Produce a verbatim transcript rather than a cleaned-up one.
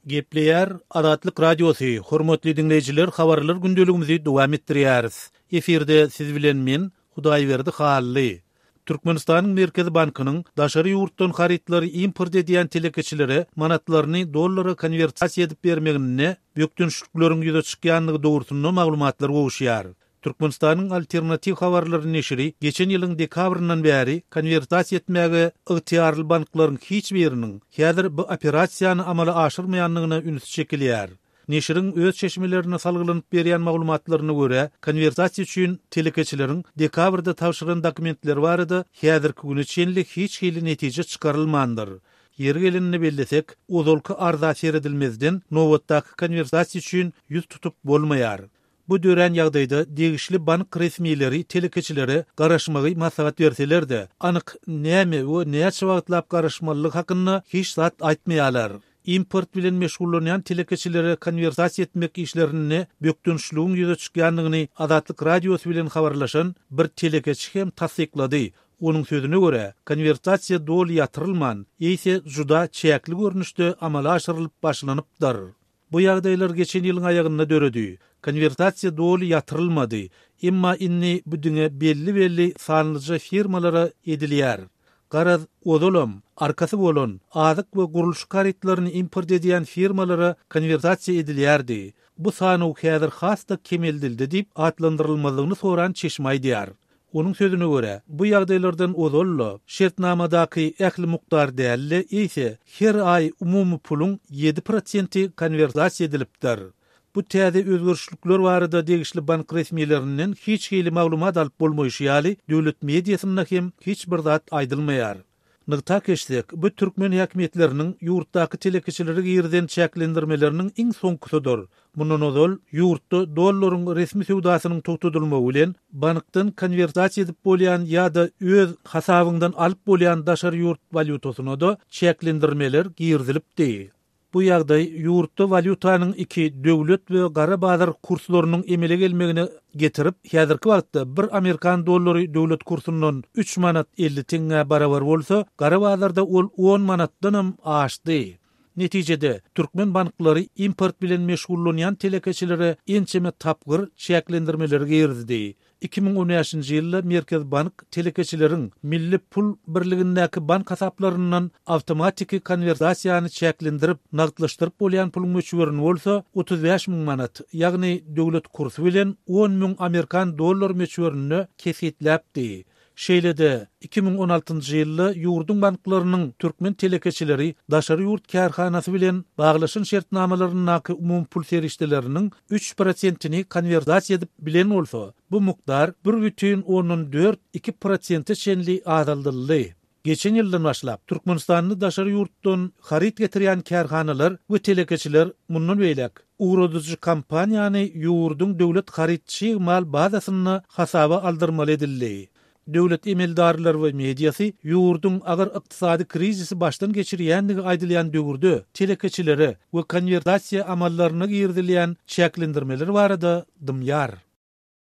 Gepleýär Azatlyk Radiosy, hormatly diňleýjiler, habarlar gündeligimizi dowam etdirýäris. Efirde siz bilen men, Hudaýberdi Hally. Türkmenistanyň Merkezi bankynyň daşary ýurtdan harytlary import edýän telekeçilere manatlaryny dollara konwertasiýa edip bermeginde bökdençlikleriň ýüze çykýandygy dogrusynda maglumatlar gowuşýar. Türkmenistanyň alternatiw habarlary neşiri geçen ýylyň dekabryndan bäri konwertasiýa etmäge ygtyýarly banklaryň hiç biriniň häzir bu operasiýany amala aşyrmaýandygyna üns çekilýär. Neşiriň öz çeşmelerine salgylanyp berýän maglumatlaryna görä, konwertasiýa üçin telekeçileriň dekabrda tabşyran dokumentleri barada häzirki güne çenli hiç hili netije çykarylmandyr. Ýeri gelenini bellesek, ozalky arza seredilmezden nobatdaky konwertasiýa üçin ýüz tutup bolmaýar. Bu dörän ýagdaýda degişli bank resmileri telekeçilere garaşmagy maslahat berseler-de, anyk näme we näçe wagtlap garaşmalylygy hakynda hiç zat aýtmaýarlar. Import bilen meşgullanýan telekeçilere konwertasiýa etmek işlerinde bökdençligiň ýüze çykýandygyny Azatlyk Radiosy bilen habarlaşan bir telekeçi hem tassyklady. Onuň sözüne görä, konwertasiýa doly ýatyrylman, eýse juda çäkli görnüşde amala aşyrylyp başlanypdyr. Bu ýagdaýlar geçen ýylyň aýagynda döredi. Konwertasiýa doly ýatyrylmady. Emma indi bu diňe belli-belli sanlyja firmalara edilýär. Garaz, ozalam arkasy bolan azyk we gurluşyk harytlaryny import edýän firmalara konwertasiýa edilýärdi. Bu sanaw häzir has-da kemeldildi diýip atlandyrylmalygyny soran çeşme aýdýar. Onuň sözüne görä, bu ýagdaýlardan ozal-da şertnamadaky ähli mukdar däl-de, eýse her aý umumy puluň ýedi prosenti konwertasiýa edilipdir. Bu täze özgerişlikler barada degişli bank resmilerinden hiç hili maglumat alyp bolmaýşy ýaly, döwlet mediasynda hem hiç bir zat aýdylmaýar. Nygtap geçsek, bu türkmen häkimiýetleriniň ýurtdaky telekeçilere girizen çäklendirmeleriniň iň soňkusydyr. Mundan ozal ýurtda dollaryň resmi söwdasynyň togtadylmagy bilen bankdan konwertasiýa edip bolýan ýa-da öz hasabyňdan alyp bolýan daşary ýurt walýutasyna-da çäklendirmeler girizilipdi. Bu ýagdaý ýurtda walýutanyň iki döwlet we gara bazar kurslarynyň emele gelmegine getirip, häzirki wagtda bir amerikan dollary döwlet kursundan üç manat elli teňňä barabar bolsa, gara bazarda ol on manatdanam aşdy. Netijede, türkmen banklary import bilen meşgullanýan telekeçilere ençeme tapgyr çäklendirmeleri girizdi. Iki müň on bäşinji ýylda Merkez bank telekeçileriň milli pul birligindäki bank hasaplaryndan awtomatiki konwertasiýany çäklendirip, nagtlaşdyryp bolýan puluň möçberini bolsa otuz bäş müň manat, ýagny döwlet kursy bilen on müň amerikan dollar möçberinde kesgitläpdi. Şeýle-de, iki müň on altynjy ýylda ýurduň banklarynyň türkmen telekeçileri daşary ýurt kärhanasy bilen baglaşan şertnamalaryndaky umumy pul serişdeleriniň üç prosentini konwertasiýa edip bilen bolsa, bu mukdar bir bütin ondan dört iki prosente çenli azaldyldy. Geçen ýyldan başlap, Türkmenistanda daşary ýurtdan haryt getirýän kärhanalar we telekeçiler mundan beýläk ugradyjy kompaniýany ýurduň döwlet haryt çig mal bazasynda hasaba aldyrmaly edildi. Döwlet emeldarlary we mediasy ýurduň agyr ykdysady krizisi başdan geçirýändigi aýdylýan döwürde telekeçilere we konwertasiýa amallaryna girizilýän çäklendirmeler barada dymýar.